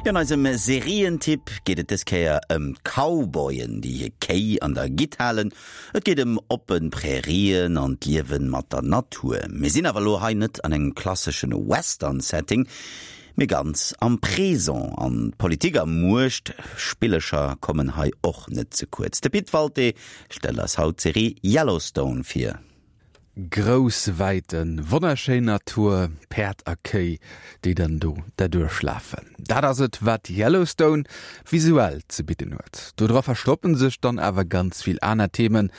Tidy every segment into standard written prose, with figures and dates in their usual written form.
An eisem Serientipp geet et dës Kéier ëm d'Cowboyen, déi hir Kéi an der Gitt halen. Et geet ëm oppe Prärien an d'Liewe mat der Natur. Mir sinn awer elo hei net an engem klasseschen Western-Setting, mee ganz am Présent. An d'Politik a Muechtspillecher kommen hei och net ze kuerz. De Pit Walté stellt eis haut d'Serie Yellowstone vir. Grouss Wäiten, wonnerschéin Natur, Päerd a Kéi, déi dann do derduerch lafen. Dat ass et, wat Yellowstone visuell ze bidden huet. Dodra verstoppen sech dann awer ganz vill aner Themen,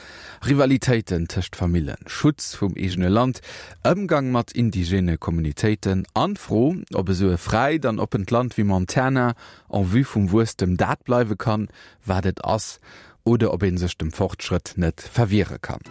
Rivalitéiten tëscht Famillen, Schutz vum eegene Land, Ëmgang mat indigene Communitéiten an d'Fro, ob esou e fräit an oppent Land wéi Montana en vue vum Wuesstem dat bleiwe kann, wat et ass. Oder ob ee sech dem Fortschrëtt net verwiere kann.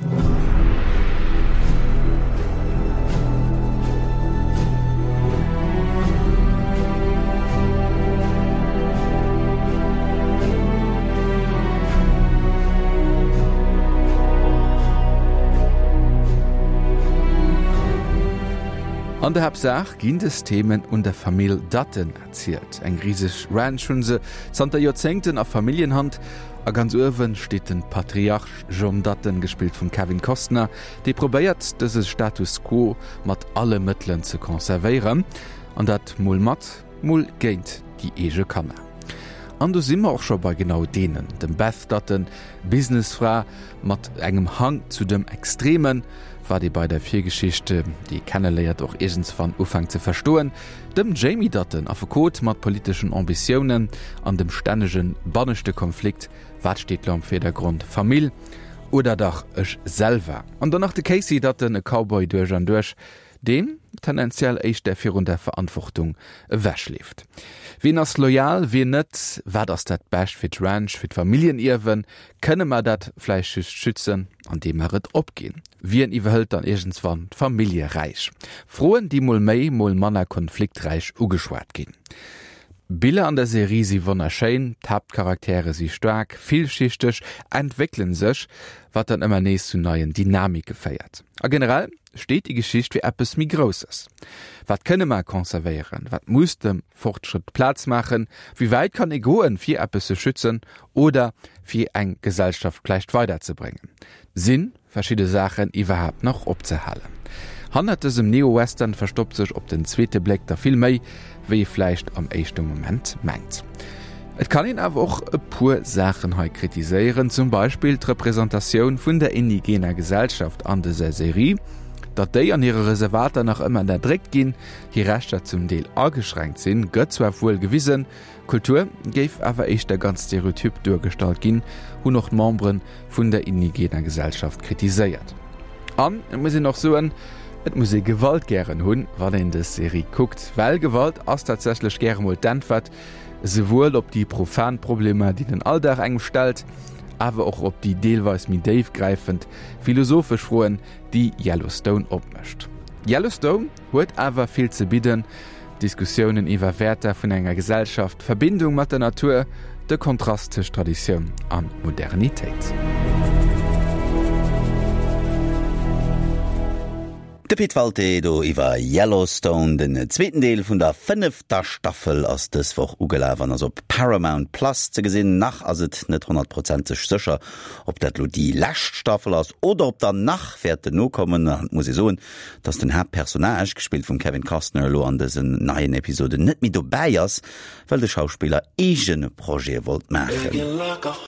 An der Haaptsaach ginn des Themen un der Famill Dutton erzielt. Eng riseg Ranch hunn se zanter Joerzéngten a Familljenhand. A ganz uewen steet den Patriarch John Dutton, gespillt vum Kevin Costner, dee probéiert dëse Status quo mat alle Mëttelen ze conservéieren. An dat mol mat, mol géint déi eege Kanner. An do si mer och scho bei genau deenen, dem Beth Dutton, Businessfra mat engem Hang zu dem Extremen, wat ee bei der Virgeschicht, déi ee kenneléiert, och iergendswann ufänkt ze verstoen, Dem Jamie Dutton, Affekot mat politeschen Ambitiounen an dem stännege banneschte Konflikt, wat steet lo am Virdergrond, Famill oder dach ech selwer? An dann nach de Casey Dutton, e Cowboy duerch an duerch, deen tendenziell éischter virun der Verantwortung ewechleeft. Wien ass loyal, wien net? Wat ass dat Bescht fir d'Ranch, fir d'Familljenierwen? Kënne mer dat vläicht just schützen, andeem mer et opginn? Wien iwwerhëlt dann iergendswann d'Familljeräich? Froen, déi mol méi, mol manner konflikträich ugeschwat ginn. D'Biller an der Serie si wonnerschéin, d'Haaptcharaktere si staark, villschichteg, entwéckelen sech, wat dann ëmmer nees zu neien Dynamike féiert. A generell steet déi Geschicht fir eppes méi Grousses. Wat kënne mer conservéieren? Wat muss dem Fortschrëtt Plaz maachen? Wéi wäit kann ee goen, fir eppes ze schützen oder fir eng Gesellschaft vläicht weiderzebréngen? Sinn verschidde Saachen iwwerhaapt nach opzehalen. Hannert dësem Neo-Western verstoppt sech op den zweete Bléck der vill méi, wéi ee vläicht am éischte Moment mengt. Et kann een awer och e puer Saachen hei kritiséieren, zum Beispill d'Representatioun vun der indigener Gesellschaft an dëser Serie. Datt déi an hire Reservater nach ëmmer ënnerdréckt ginn, hir Rechter zum Deel ageschränkt sinn, gëtt zwar wuel gewisen, D'Kultur géif awer éischter ganz stereotyp duergestallt ginn, hunn och d'Membere vun der indigener Gesellschaft kritiséiert. An et muss een och soen, et muss ee Gewalt gären hunn, wann een dës Serie kuckt, well Gewalt ass tatsächlech gäre mol d'Äntwert, esouwuel op déi profan Problemer, déi den Alldag engem stellt, awer och op déi deelweis méi déifgräifend philosophesch Froen, déi Yellowstone opmécht. Yellowstone huet awer vill ze bidden, Diskussiounen iwwer Wäerter vun enger Gesellschaft, d'Verbindung mat der Natur, de Kontrast tëscht Traditioun a Modernitéit. De Pit Walté do iwwer Yellowstone. Den zweeten Deel vun der fënnefter Staffel ass dës Woch ugelaf an ass op Paramount Plus ze gesinn. Nach ass et net honnertprozenteg sécher, ob dat lo déi lescht Staffel ass oder ob der nach wäerten nokommen. An et muss ee soen, dass den Haaptpersonnage, gespillt vum Kevin Costner, elo an dësen neien Episoden net méi dobäi ass, well de Schauspiller eege Projete wollt maachen.